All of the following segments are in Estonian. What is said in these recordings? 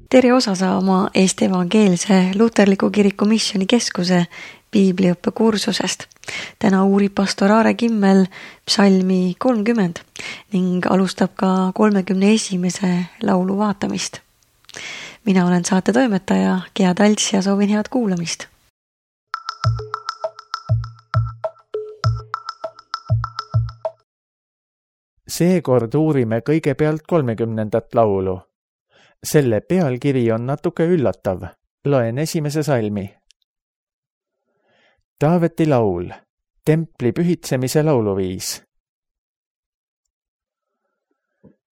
tere osa saama Eesti Evangeelse Luterliku Kiriku Missioonikeskuse piibliõppekursusest. Täna uurib pastor Aare Kimmel psalmi 30 ning alustab ka 31. laulu vaatamist. Mina olen saate toimetaja Gea Talts ja soovin head kuulamist. Seekord uurime kõigepealt 30. laulu. Selle pealkiri on natuke üllatav. Loen 1. salmi. Taaveti laul, templi pühitsemise lauluviis.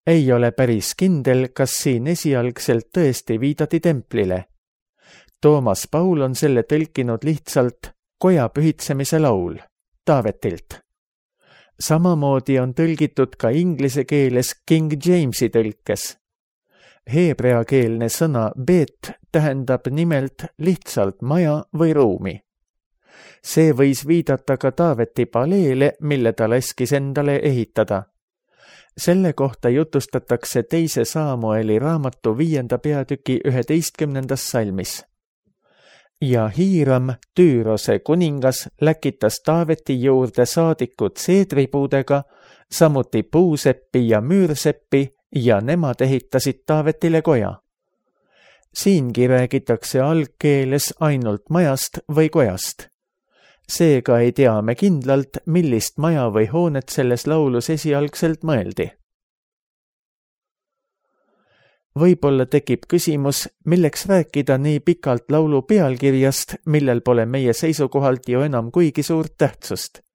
Ei ole päris kindel, kas siin esialgselt tõesti viidati templile. Toomas Paul on selle tõlkinud lihtsalt koja pühitsemise laul, Taavetilt. Samamoodi on tõlgitud ka inglise keeles King Jamesi tõlkes. Heebreakeelne sõna bet tähendab nimelt lihtsalt maja või ruumi. See võis viidata ka Taaveti paleele, mille ta laskis endale ehitada. Selle kohta jutustatakse 2. Saamueli raamatu 5. peatüki 11. salmis. Ja Hiiram, Tüürose kuningas, läkitas Taaveti juurde saadikud seedripuudega, samuti puuseppi ja müürseppi, ja nemad ehitasid Taavetile koja. Siingi räägitakse algkeeles ainult majast või kojast. Seega ei tea me kindlalt, millist maja või hoonet selles laulus esialgselt mõeldi. Võib-olla tekib küsimus, milleks rääkida nii pikalt laulu pealkirjast, millel pole meie seisukohalt ju enam kuigi suurt tähtsust.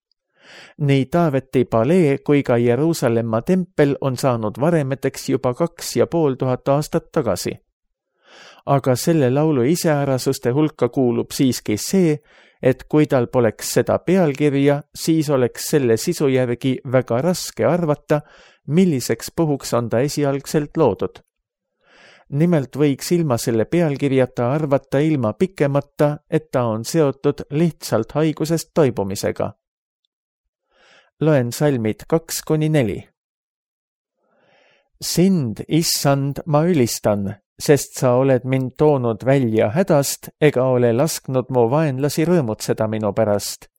Nii Taaveti palee kui ka Jeruusalemma tempel on saanud varemeteks juba 2500 aastat tagasi. Aga selle laulu iseärasuste hulka kuulub siiski see, et kui tal poleks seda pealkirja, siis oleks selle sisu järgi väga raske arvata, milliseks puhuks on ta esialgselt loodud. Nimelt võiks ilma selle pealkirjata arvata ilma pikemata, et ta on seotud lihtsalt haigusest toibumisega. Loen salmid 2-4. Sind, issand, ma ülistan, sest sa oled mind toonud välja hädast ega ole lasknud mu vaenlasi rõõmutseda minu pärast.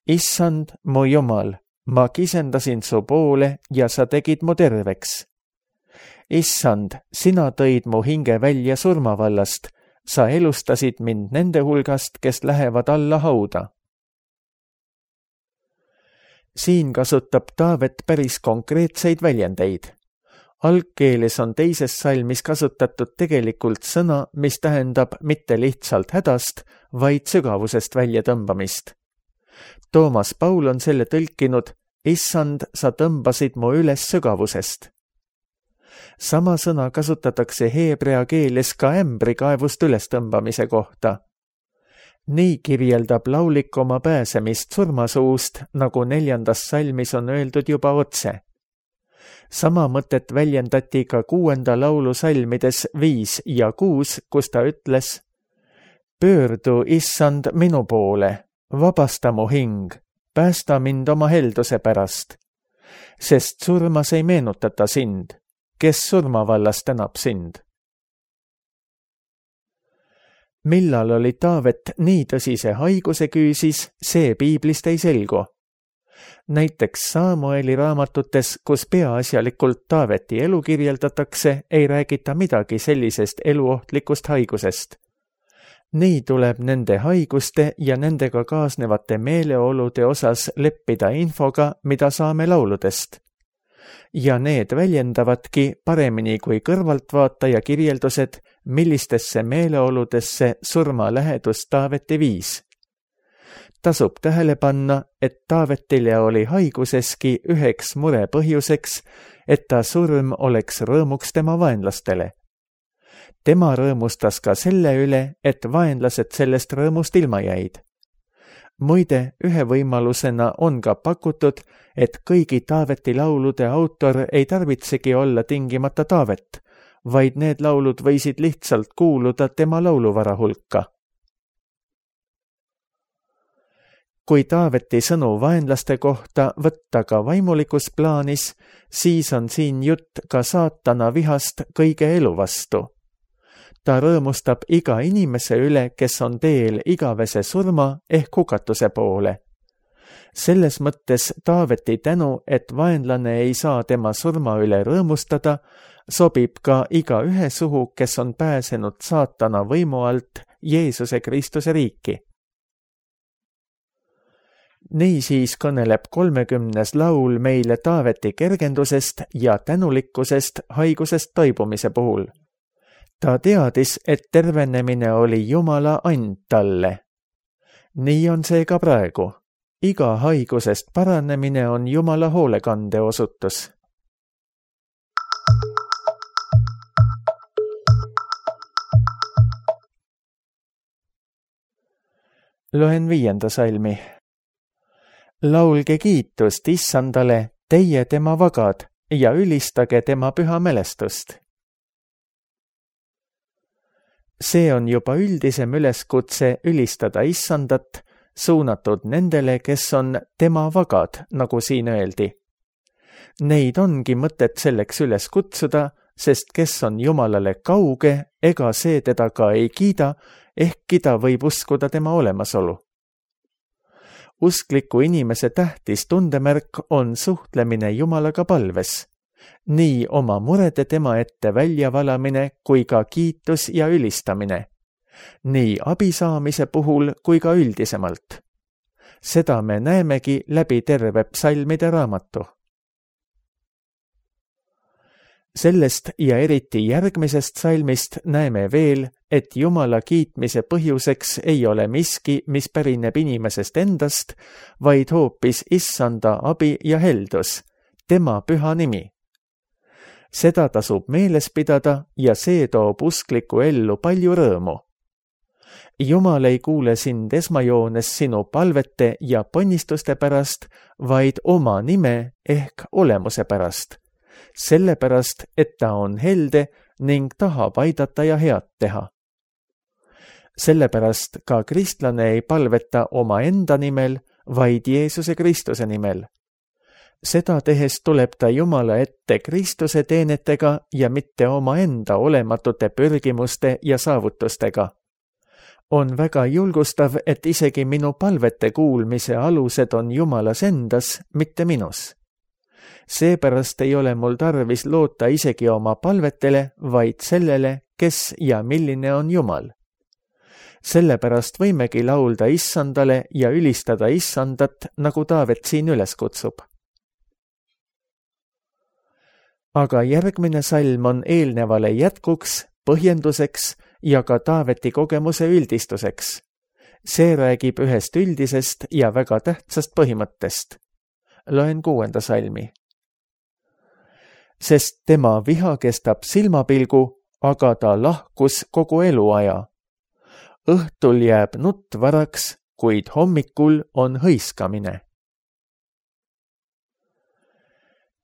Issand, mu Jumal, ma kisendasin su poole ja sa tegid mu terveks. Issand, sina tõid mu hinge välja surmavallast, sa elustasid mind nende hulgast, kes lähevad alla hauda. Siin kasutab Taavet päris konkreetseid väljendeid. Algkeeles on 2. salmis kasutatud tegelikult sõna, mis tähendab mitte lihtsalt hädast, vaid sügavusest väljatõmbamist. Toomas Paul on selle tõlkinud, issand, sa tõmbasid mu üles sügavusest. Sama sõna kasutatakse heebrea keeles ka ämbrikaevust ülestõmbamise kohta. Nii kirjeldab laulik oma pääsemist surmasuust, nagu 4. salmis on öeldud juba otse. Sama mõtet väljendati ka 6. laulu salmides 5 ja 6, kus ta ütles: Pöördu, issand, minu poole, vabasta mu hing, päästa mind oma helduse pärast, sest surmas ei meenutata sind, kes surmavallas tänab sind. Millal oli Taavet nii tõsise haiguse küüsis, see piiblist ei selgu. Näiteks Saamueli raamatutes, kus peaasjalikult Taaveti elu kirjeldatakse, ei räägita midagi sellisest eluohtlikust haigusest. Nii tuleb nende haiguste ja nendega kaasnevate meeleolude osas leppida infoga, mida saame lauludest. Ja need väljendavadki paremini kui kõrvaltvaataja kirjeldused, millistesse meeleoludesse surma lähedus Taaveti viis. Tasub tähele panna, et Taavetile oli haiguseski üheks mure põhjuseks, et ta surm oleks rõõmuks tema vaenlastele. Tema rõõmustas ka selle üle, et vaenlased sellest rõõmust ilma jäid. Muide, ühe võimalusena on ka pakutud, et kõigi Taaveti laulude autor ei tarvitsegi olla tingimata Taavet, vaid need laulud võisid lihtsalt kuuluda tema lauluvara hulka. Kui Taaveti sõnu vaenlaste kohta võtta ka vaimulikus plaanis, siis on siin jutt ka saatana vihast kõige elu vastu. Ta rõõmustab iga inimese üle, kes on teel igavese surma ehk hukatuse poole. Selles mõttes Taaveti tänu, et vaenlane ei saa tema surma üle rõõmustada, sobib ka igaühe suhu, kes on pääsenud saatana võimu alt Jeesuse Kristuse riiki. Niisiis kõneleb 30. laul meile Taaveti kergendusest ja tänulikkusest haigusest toibumise puhul. Ta teadis, et tervenemine oli Jumala and talle. Nii on see ka praegu. Iga haigusest paranemine on Jumala hoolekande osutus. Loen 5. salmi. Laulge kiitust Issandale, teie tema vagad, ja ülistage tema püha mälestust. See on juba üldisem üleskutse ülistada Issandat, suunatud nendele, kes on tema vagad, nagu siin öeldi. Neid ongi mõtet selleks üles kutsuda, sest kes on Jumalale kauge, ega see teda ka ei kiida, ehkki ta võib uskuda tema olemasolu. Uskliku inimese tähtis tundemärk on suhtlemine Jumalaga palves. Nii oma murede tema ette väljavalamine kui ka kiitus ja ülistamine. Nii abi saamise puhul kui ka üldisemalt. Seda me näemegi läbi terve psalmide raamatu. Sellest ja eriti järgmisest salmist näeme veel, et Jumala kiitmise põhjuseks ei ole miski, mis pärineb inimesest endast, vaid hoopis Issanda abi ja heldus, tema püha nimi. Seda tasub meeles pidada ja see toob uskliku ellu palju rõõmu. Jumal ei kuule sind esmajoones sinu palvete ja ponnistuste pärast, vaid oma nime ehk olemuse pärast. Sellepärast, et ta on helde ning tahab aidata ja head teha. Sellepärast ka kristlane ei palveta oma enda nimel, vaid Jeesuse Kristuse nimel. Seda tehes tuleb ta Jumala ette Kristuse teenetega ja mitte omaenda olematute pürgimuste ja saavutustega. On väga julgustav, et isegi minu palvete kuulmise alused on Jumalas endas, mitte minus. Seepärast ei ole mul tarvis loota isegi oma palvetele, vaid sellele, kes ja milline on Jumal. Sellepärast võimegi laulda Issandale ja ülistada Issandat, nagu Taavet siin üles kutsub. Aga järgmine salm on eelnevale jätkuks, põhjenduseks ja ka Taaveti kogemuse üldistuseks. See räägib ühest üldisest ja väga tähtsast põhimõttest. Loen 6. salmi. Sest tema viha kestab silmapilgu, aga ta lahkus kogu eluaja. Õhtul jääb nutt varaks, kuid hommikul on hõiskamine.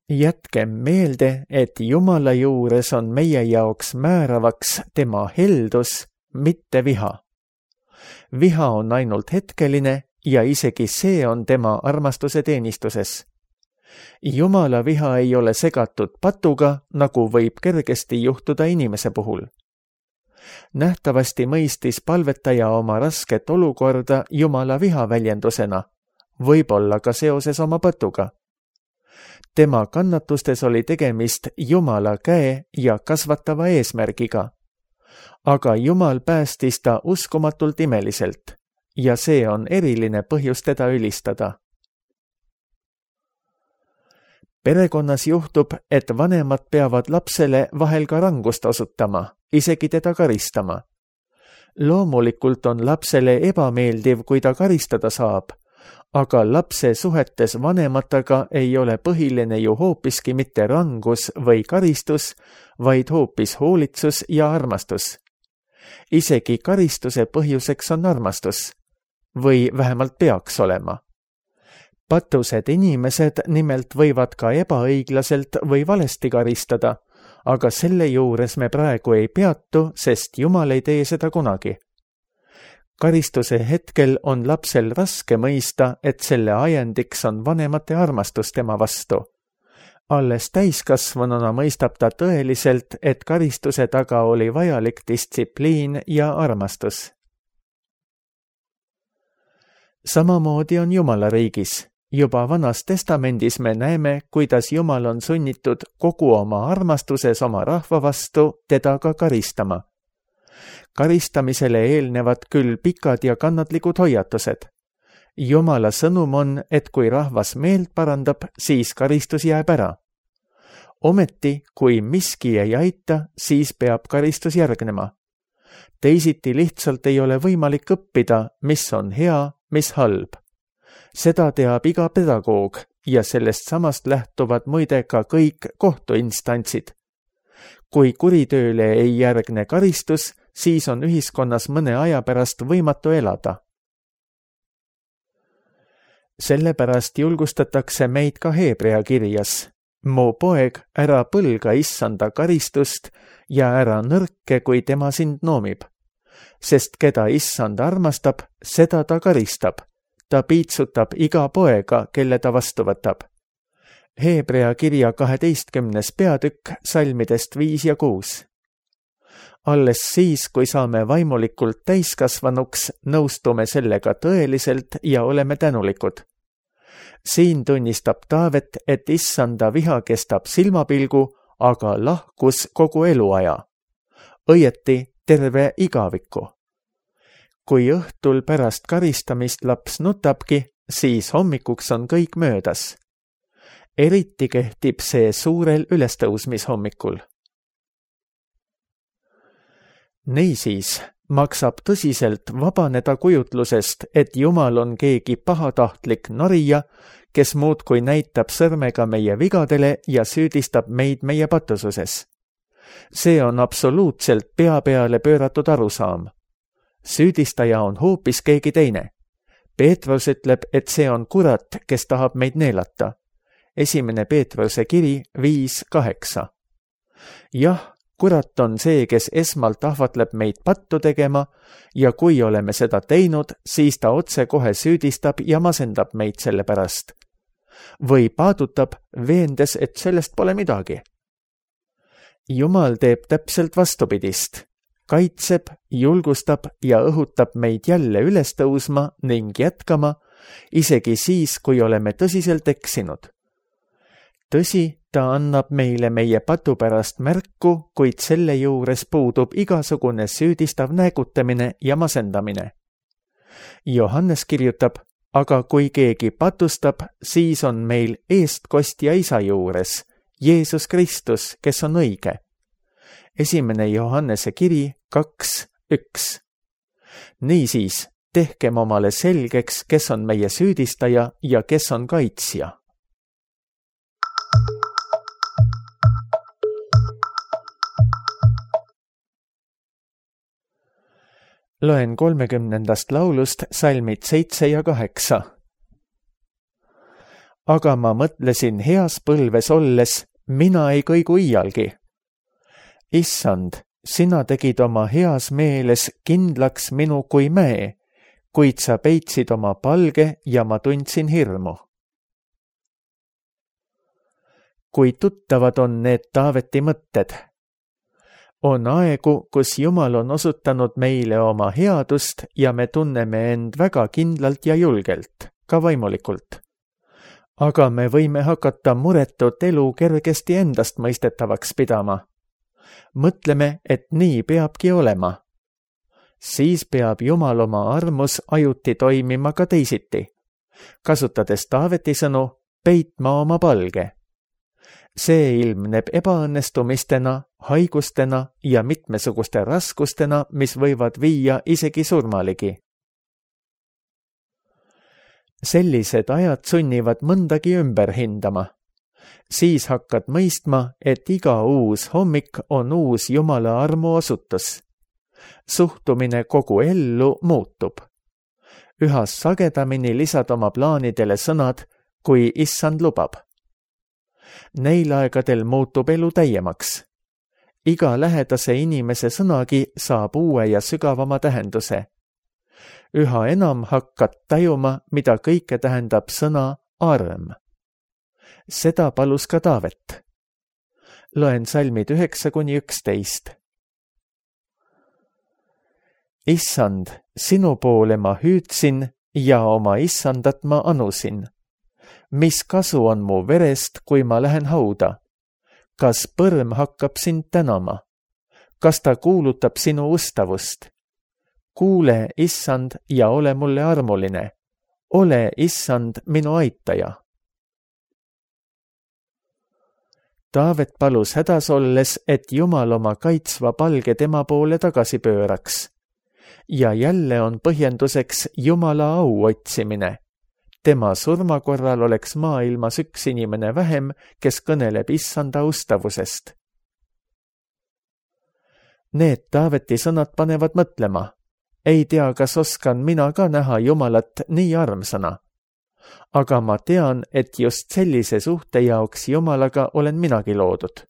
Jätkem meelde, et Jumala juures on meie jaoks määravaks tema heldus, mitte viha. Viha on ainult hetkeline ja isegi see on tema armastuse teenistuses. Jumala viha ei ole segatud patuga, nagu võib kergesti juhtuda inimese puhul. Nähtavasti mõistis palvetaja oma rasket olukorda Jumala viha väljendusena, võib-olla ka seoses oma patuga. Tema kannatustes oli tegemist Jumala käe ja kasvatava eesmärgiga. Aga Jumal päästis ta uskumatult imeliselt ja see on eriline põhjus teda ülistada. Perekonnas juhtub, et vanemad peavad lapsele vahel ka rangust osutama, isegi teda karistama. Loomulikult on lapsele ebameeldiv, kui ta karistada saab, aga lapse suhetes vanematega ei ole põhiline ju hoopiski mitte rangus või karistus, vaid hoopis hoolitsus ja armastus. Isegi karistuse põhjuseks on armastus, või vähemalt peaks olema. Patused inimesed nimelt võivad ka ebaõiglaselt või valesti karistada, aga selle juures me praegu ei peatu, sest Jumal ei tee seda kunagi. Karistuse hetkel on lapsel raske mõista, et selle ajendiks on vanemate armastus tema vastu. Alles täiskasvanuna mõistab ta tõeliselt, et karistuse taga oli vajalik distsipliin ja armastus. Samamoodi on Jumala riigis. Juba Vanas Testamendis me näeme, kuidas Jumal on sunnitud kogu oma armastuses oma rahva vastu teda ka karistama. Karistamisele eelnevad küll pikad ja kannatlikud hoiatused. Jumala sõnum on, et kui rahvas meelt parandab, siis karistus jääb ära. Ometi, kui miski ei aita, siis peab karistus järgnema. Teisiti lihtsalt ei ole võimalik õppida, mis on hea, mis halb. Seda teab iga pedagoog ja sellest samast lähtuvad muide ka kõik kohtuinstantsid. Kui kuritööle ei järgne karistus, siis on ühiskonnas mõne aja pärast võimatu elada. Sellepärast julgustatakse meid ka Hebrea kirjas. Mu poeg, ära põlga issanda karistust ja ära nõrke, kui tema sind noomib. Sest keda issand armastab, seda ta karistab. Ta piitsutab iga poega, kelle ta vastu võtab. Hebrea kirja 12. peatükk salmidest 5 ja 6. Alles siis, kui saame vaimulikult täiskasvanuks, nõustume sellega tõeliselt ja oleme tänulikud. Siin tunnistab Taavet, et issanda viha kestab silmapilgu, aga lahkus kogu eluaja. Õieti terve igaviku. Kui õhtul pärast karistamist laps nutabki, siis hommikuks on kõik möödas. Eriti kehtib see suurel ülestõusmishommikul. Niisiis maksab tõsiselt vabaneda kujutlusest, et Jumal on keegi pahatahtlik narija, kes muudkui näitab sõrmega meie vigadele ja süüdistab meid meie patususes. See on absoluutselt pea peale pööratud arusaam. Süüdistaja on hoopis keegi teine. Peetrus ütleb, et see on kurat, kes tahab meid neelata. 1. Peetruse kiri 5:8. Jah, kurat on see, kes esmalt ahvatleb meid pattu tegema ja kui oleme seda teinud, siis ta otsekohe süüdistab ja masendab meid selle pärast. Või paadutab, veendes, et sellest pole midagi. Jumal teeb täpselt vastupidist. Kaitseb, julgustab ja õhutab meid jälle üles tõusma ning jätkama, isegi siis, kui oleme tõsiselt eksinud. Tõsi, ta annab meile meie patu pärast märku, kuid selle juures puudub igasugune süüdistav näägutamine ja masendamine. Johannes kirjutab, aga kui keegi patustab, siis on meil eestkostja isa juures, Jeesus Kristus, kes on õige. 1. Johannese kiri 2:1. Niisiis, tehkem omale selgeks, kes on meie süüdistaja ja kes on kaitsja. Loen 30. laulust salmid 7 ja 8. Aga ma mõtlesin heas põlves olles, mina ei kõigu iialgi. Issand, sina tegid oma heas meeles kindlaks minu kui mäe, kuid sa peitsid oma palge ja ma tundsin hirmu. Kui tuttavad on need Taaveti mõtted. On aegu, kus Jumal on osutanud meile oma headust ja me tunneme end väga kindlalt ja julgelt, ka vaimulikult. Aga me võime hakata muretut elu kergesti endast mõistetavaks pidama. Mõtleme, et nii peabki olema. Siis peab Jumal oma armus ajuti toimima ka teisiti, kasutades Taaveti sõnu peitma oma palge. See ilmneb ebaõnnestumistena, haigustena ja mitmesuguste raskustena, mis võivad viia isegi surmaligi. Sellised ajad sunnivad mõndagi ümber hindama. Siis hakkad mõistma, et iga uus hommik on uus Jumala armu osutus. Suhtumine kogu ellu muutub. Üha sagedamini lisad oma plaanidele sõnad, kui issand lubab. Neil aegadel muutub elu täiemaks. Iga lähedase inimese sõnagi saab uue ja sügavama tähenduse. Üha enam hakkad tajuma, mida kõike tähendab sõna arm. Seda palus ka Taavet. Loen salmid 9-11. Issand, sinu poole ma hüüdsin ja oma issandat ma anusin. Mis kasu on mu verest, kui ma lähen hauda? Kas põrm hakkab sind tänama? Kas ta kuulutab sinu ustavust? Kuule, issand, ja ole mulle armuline. Ole, issand, minu aitaja. Taavet palus hädas olles, et Jumal oma kaitsva palge tema poole tagasi pööraks. Ja jälle on põhjenduseks Jumala au otsimine. Tema surma korral oleks maailmas üks inimene vähem, kes kõneleb issanda ustavusest. Need Taaveti sõnad panevad mõtlema. Ei tea, kas oskan mina ka näha Jumalat nii armsana. Aga ma tean, et just sellise suhte jaoks Jumalaga olen minagi loodud.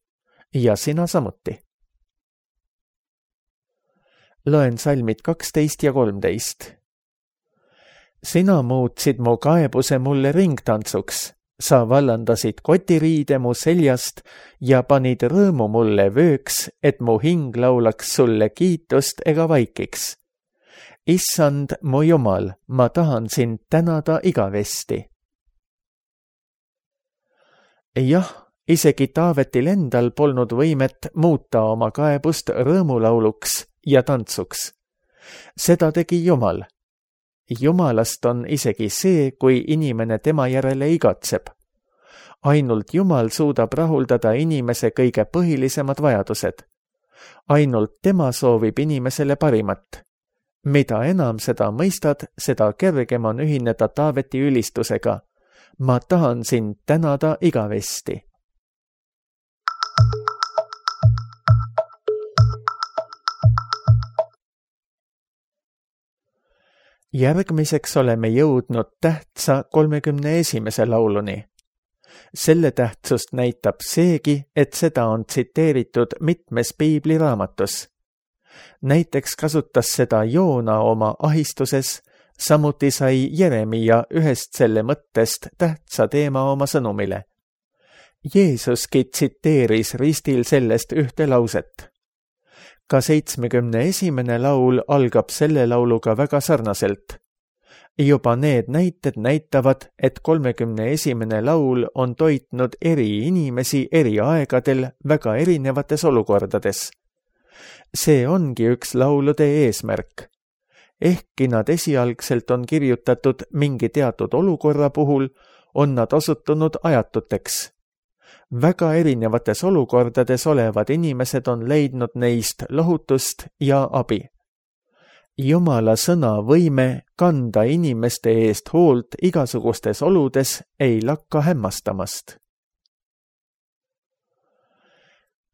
Ja sina samuti. Loen salmid 12 ja 13. Sina muutsid mu kaebuse mulle ringtantsuks. Sa vallandasid kotiriide mu seljast ja panid rõõmu mulle vööks, et mu hing laulaks sulle kiitust ega vaikiks. Issand, mu Jumal, ma tahan sind tänada igavesti. Jah, isegi Taavetil endal polnud võimet muuta oma kaebust rõõmulauluks ja tantsuks. Seda tegi Jumal. Jumalast on isegi see, kui inimene tema järele igatseb. Ainult Jumal suudab rahuldada inimese kõige põhilisemad vajadused. Ainult tema soovib inimesele parimat. Mida enam seda mõistad, seda kergem on ühineda Taaveti ülistusega. Ma tahan sind tänada igavesti. Järgmiseks oleme jõudnud tähtsa 31. lauluni. Selle tähtsust näitab seegi, et seda on tsiteeritud mitmes piibliraamatus. Näiteks kasutas seda Joona oma ahistuses, samuti sai Jeremia ühest selle mõttest tähtsa teema oma sõnumile. Jeesuski tsiteeris ristil sellest ühte lauset. Ka 71. laul algab selle lauluga väga sarnaselt. Juba need näited näitavad, et 31. laul on toitnud eri inimesi eri aegadel väga erinevates olukordades. See ongi üks laulude eesmärk. Ehkki nad esialgselt on kirjutatud mingi teatud olukorra puhul, on nad osutunud ajatuteks. Väga erinevates olukordades olevad inimesed on leidnud neist lohutust ja abi. Jumala sõna võime kanda inimeste eest hoolt igasugustes oludes ei lakka hämmastamast.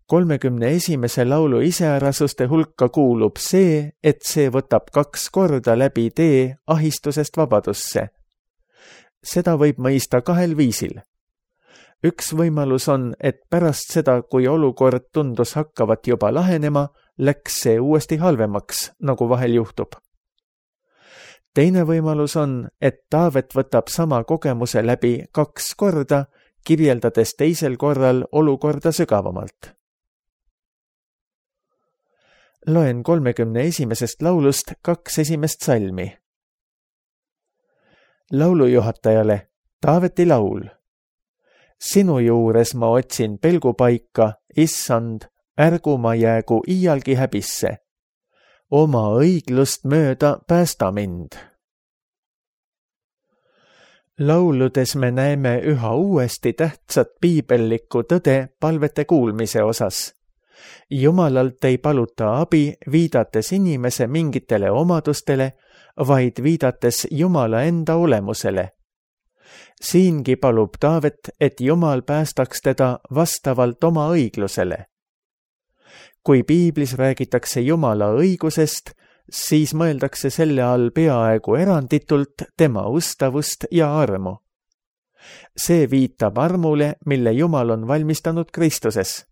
31. laulu iseärasuste hulka kuulub see, et see võtab 2 korda läbi tee ahistusest vabadusse. Seda võib mõista 2 viisil. Üks võimalus on, et pärast seda, kui olukord tundus hakkavat juba lahenema, läks see uuesti halvemaks, nagu vahel juhtub. Teine võimalus on, et Taavet võtab sama kogemuse läbi 2 korda, kirjeldades teisel korral olukorda sügavamalt. Loen 31. laulust 2 esimest salmi. Laulujuhatajale Taaveti laul. Sinu juures ma otsin pelgupaika, issand, ärgu ma jäägu iialgi häbisse. Oma õiglust mööda päästa mind. Lauludes me näeme üha uuesti tähtsat piibellikku tõde palvete kuulmise osas. Jumalalt ei paluta abi, viidates inimese mingitele omadustele, vaid viidates Jumala enda olemusele. Siingi palub Taavet, et Jumal päästaks teda vastavalt oma õiglusele. Kui piiblis räägitakse Jumala õigusest, siis mõeldakse selle all peaaegu eranditult tema ustavust ja armu. See viitab armule, mille Jumal on valmistanud Kristuses.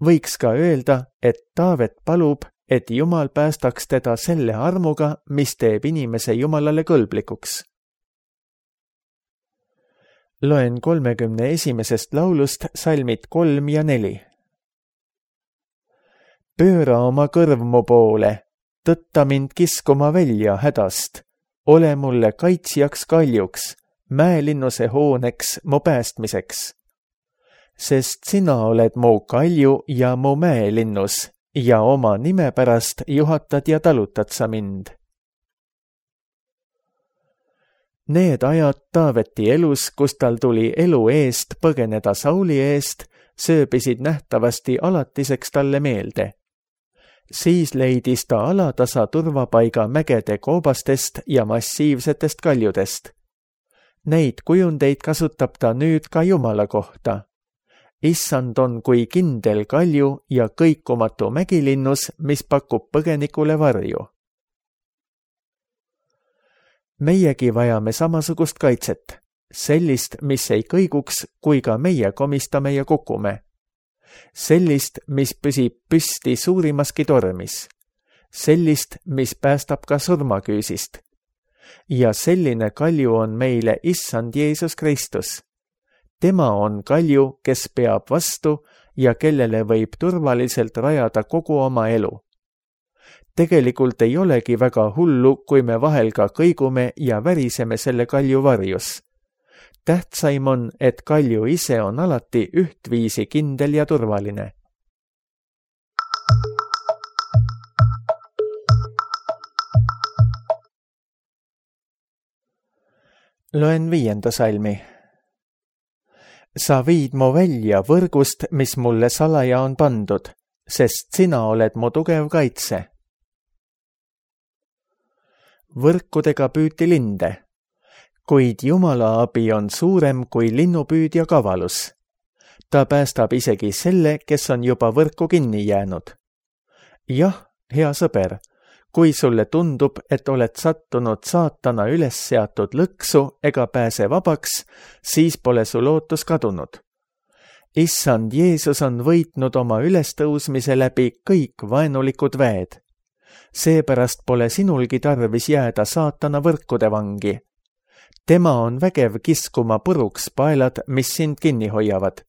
Võiks ka öelda, et Taavet palub, et Jumal päästaks teda selle armuga, mis teeb inimese Jumalale kõlblikuks. Loen 31. laulust salmid 3 ja 4. Pööra oma kõrv mu poole, tõtta mind kiskuma välja hädast. Ole mulle kaitsjaks kaljuks, mäelinnuse hooneks mu päästmiseks. Sest sina oled mu kalju ja mu mäelinnus ja oma nime pärast juhatad ja talutad sa mind. Need ajad Taaveti elus, kus tal tuli elu eest põgeneda Sauli eest, sööbisid nähtavasti alatiseks talle meelde. Siis leidis ta alatasa turvapaiga mägede koobastest ja massiivsetest kaljudest. Neid kujundeid kasutab ta nüüd ka Jumala kohta. Issand on kui kindel kalju ja kõikumatu mägilinnus, mis pakub põgenikule varju. Meiegi vajame samasugust kaitset, sellist, mis ei kõiguks, kui ka meie komistame ja kukume. Sellist, mis püsib püsti suurimaski tormis. Sellist, mis päästab ka surmaküüsist. Ja selline kalju on meile Issand Jeesus Kristus. Tema on kalju, kes peab vastu ja kellele võib turvaliselt rajada kogu oma elu. Tegelikult ei olegi väga hullu, kui me vahel ka kõigume ja väriseme selle kalju varjus. Tähtsaim on, et kalju ise on alati ühtviisi kindel ja turvaline. Loen 5. salmi. Sa viid mu välja võrgust, mis mulle salaja on pandud, sest sina oled mu tugev kaitse. Võrkudega püüti linde, kuid Jumala abi on suurem kui linnupüüdja kavalus. Ta päästab isegi selle, kes on juba võrku kinni jäänud. Jah, hea sõber, kui sulle tundub, et oled sattunud saatana üles seatud lõksu ega pääse vabaks, siis pole su lootus kadunud. Issand Jeesus on võitnud oma ülestõusmise läbi kõik vaenulikud väed. Seepärast pole sinulgi tarvis jääda saatana võrkude vangi. Tema on vägev kiskuma puruks paelad, mis sind kinni hoiavad.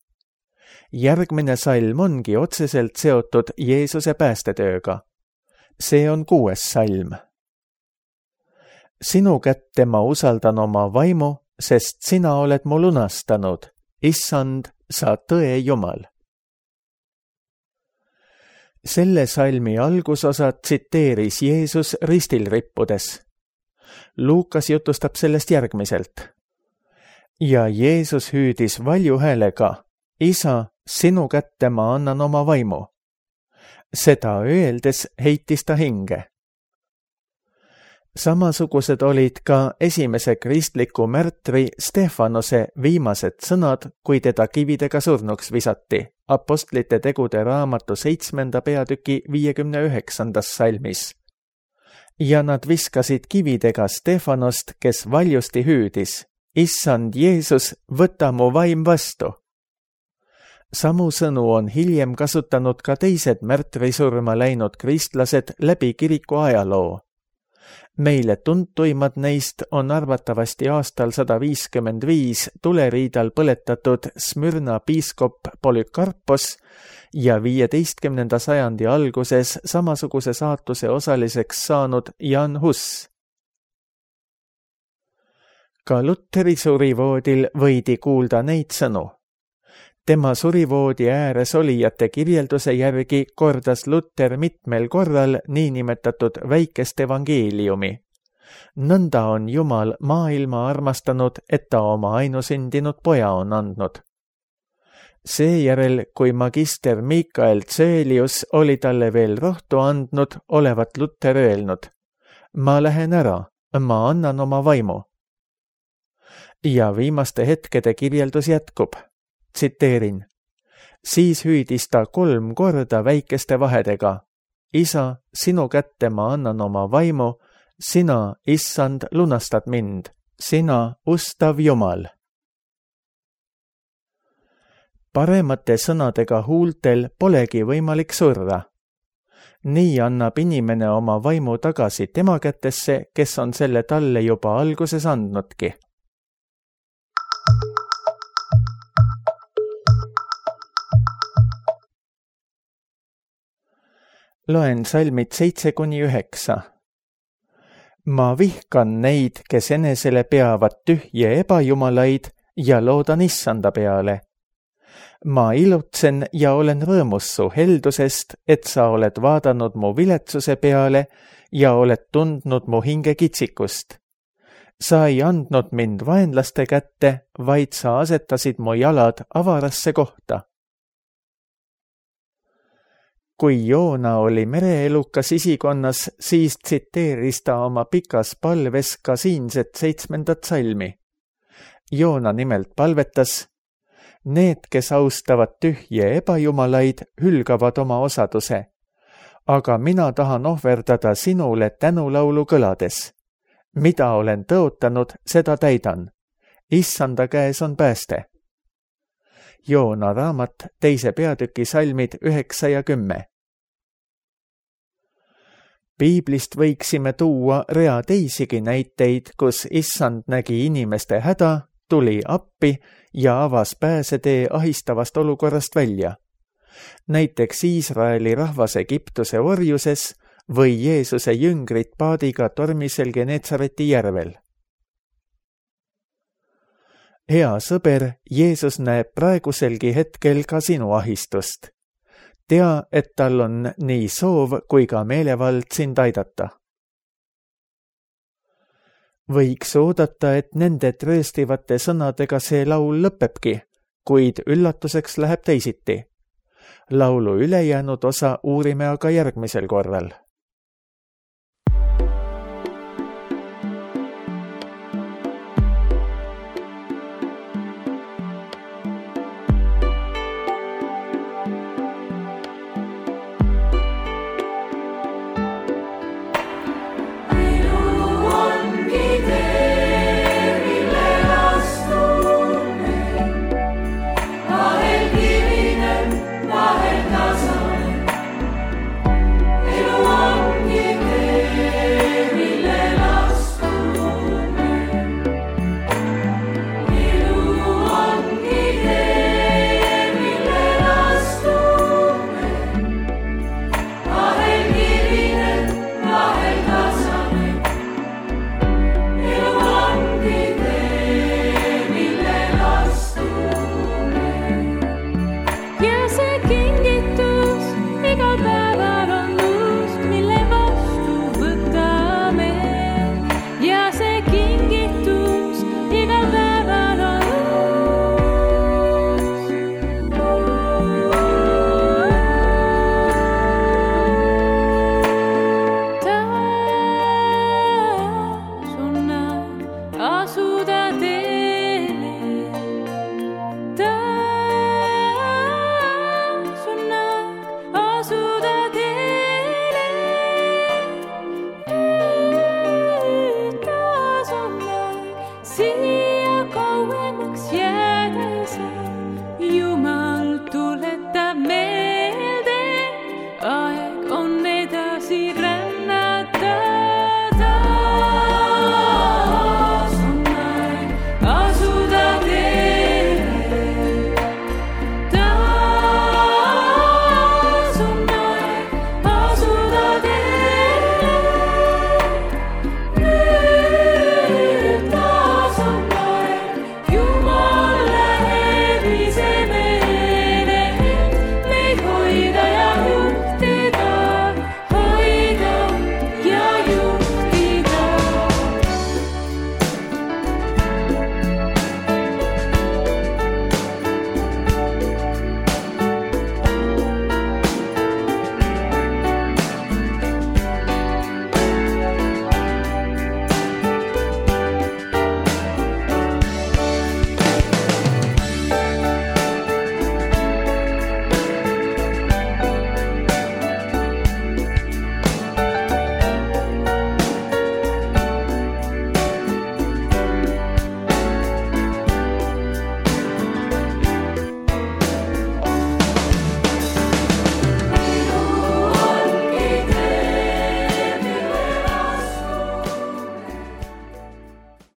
Järgmine salm ongi otseselt seotud Jeesuse päästetööga. See on 6. salm. Sinu kätte ma usaldan oma vaimu, sest sina oled mu lunastanud. Issand, sa tõe Jumal. Selle salmi algusosa tsiteeris Jeesus ristil rippudes. Luukas jutustab sellest järgmiselt. Ja Jeesus hüüdis valju häälega, Isa, sinu kätte ma annan oma vaimu. Seda öeldes heitis ta hinge. Samasugused olid ka esimese kristliku märtri Stefanose viimased sõnad, kui teda kividega surnuks visati. Apostlite tegude raamatu 7. peatüki 59. salmis. Ja nad viskasid kividega Stefanost, kes valjusti hüüdis, Issand Jeesus, võta mu vaim vastu. Samu sõnu on hiljem kasutanud ka teised märtrisurma läinud kristlased läbi kiriku ajaloo. Meile tuntuimad neist on arvatavasti aastal 155 tuleriidal põletatud Smyrna piiskop Polükarpos ja 15. sajandi alguses samasuguse saatuse osaliseks saanud Jan Hus. Ka Lutteri surivoodil võidi kuulda neid sõnu. Tema surivoodi ääres olijate kirjelduse järgi kordas Lutter mitmel korral niinimetatud väikest evangeeliumi. Nõnda on Jumal maailma armastanud, et ta oma ainusündinud poja on andnud. Seejärel, kui magister Mikael Tsöelius oli talle veel rohtu andnud, olevat Lutter öelnud, ma lähen ära, ma annan oma vaimu. Ja viimaste hetkede kirjeldus jätkub. Tsiteerin. Siis hüüdis ta 3 korda väikeste vahedega. Isa, sinu kätte ma annan oma vaimu, sina, Issand, lunastad mind, sina, ustav Jumal. Paremate sõnadega huultel polegi võimalik surra. Nii annab inimene oma vaimu tagasi tema kätesse, kes on selle talle juba alguses andnudki. Loen salmid 7-9. Ma vihkan neid, kes enesele peavad tühje ebajumalaid ja loodan issanda peale. Ma ilutsen ja olen rõõmus su heldusest, et sa oled vaadanud mu viletsuse peale ja oled tundnud mu hinge kitsikust. Sa ei andnud mind vaenlaste kätte, vaid sa asetasid mu jalad avarasse kohta. Kui Joona oli mereelukas isikonnas, siis tsiteeris ta oma pikas palves ka siinset 7. salmi. Joona nimelt palvetas: need, kes austavad tühje ebajumalaid, hülgavad oma osaduse. Aga mina tahan ohverdada sinule tänulaulu kõlades. Mida olen tõotanud, seda täidan. Issanda käes on pääste. Joona raamat 2. peatüki salmid 9 ja 10. Piiblist võiksime tuua rea teisigi näiteid, kus issand nägi inimeste häda, tuli appi ja avas pääsetee ahistavast olukorrast välja. Näiteks Iisraeli rahvas Egiptuse orjuses või Jeesuse jüngrid paadiga tormisel Genetsareti järvel. Hea sõber, Jeesus näeb praeguselgi hetkel ka sinu ahistust. Tea, et tal on nii soov kui ka meelevald sind aidata. Võiks oodata, et nende trööstivate sõnadega see laul lõpebki, kuid üllatuseks läheb teisiti. Laulu ülejäänud osa uurime aga järgmisel korral.